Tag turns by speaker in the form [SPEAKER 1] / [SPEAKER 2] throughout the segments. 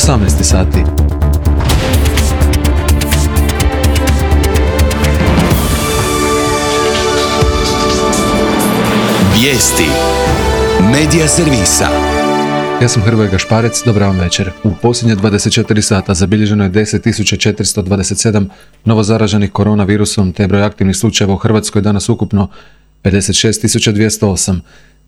[SPEAKER 1] 18 sati.
[SPEAKER 2] Vijesti Medija servisa.
[SPEAKER 1] Ja sam Hrvoje Gašparec, dobar vam večer. U posljednje 24 sata zabilježeno je 10.427 novozaraženih koronavirusom, te broj aktivnih slučajeva u Hrvatskoj danas ukupno 56.208.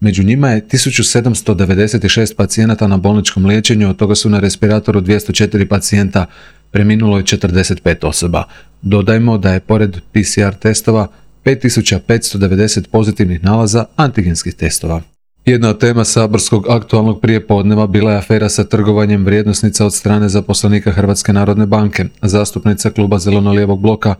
[SPEAKER 1] Među njima je 1796 pacijenata na bolničkom liječenju, od toga su na respiratoru 204 pacijenta, preminulo je 45 osoba. Dodajmo da je pored PCR testova 5590 pozitivnih nalaza antigenskih testova. Jedna od tema saborskog aktualnog prijepodneva bila je afera sa trgovanjem vrijednosnica od strane zaposlenika Hrvatske narodne banke. Zastupnica kluba Zeleno-lijevog bloka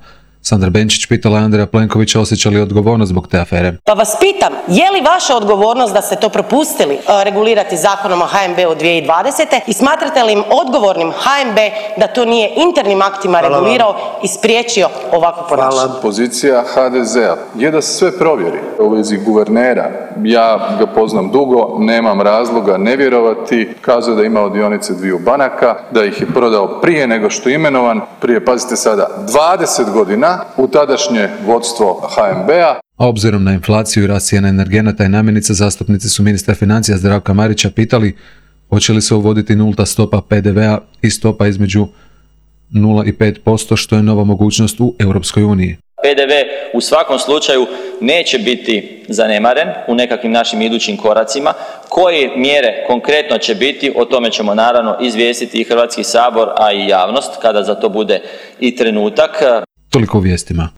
[SPEAKER 1] Sandra Benčić pitala je Andreja Plenkovića osjeća li odgovornost zbog te afere.
[SPEAKER 3] Pa vas pitam, je li vaša odgovornost da ste to propustili regulirati Zakonom o HNB-u 2020. i smatrate li im odgovornim HNB da to nije internim aktima regulirao i spriječio ovakvo ponašanje?
[SPEAKER 4] Pozicija HDZ-a je da se sve provjeri. U vezi guvernera, ja ga poznam dugo, nemam razloga ne vjerovati. Kazao da je imao dionice dviju banaka, da ih je prodao prije nego što je imenovan, prije, pazite sada, 20 godina u tadašnje vodstvo HNB-a.
[SPEAKER 1] A obzirom na inflaciju i rast cijena energenata i namirnica, zastupnici su ministra financija Zdravka Marića pitali hoće li se uvoditi nulta stopa PDV-a i stopa između 0 i 5%, što je nova mogućnost u Europskoj uniji.
[SPEAKER 5] PDV u svakom slučaju neće biti zanemaren u nekakvim našim idućim koracima. Koje mjere konkretno će biti, o tome ćemo naravno izvijestiti i Hrvatski sabor, a i javnost kada za to bude i trenutak.
[SPEAKER 1] Toliko u vijestima.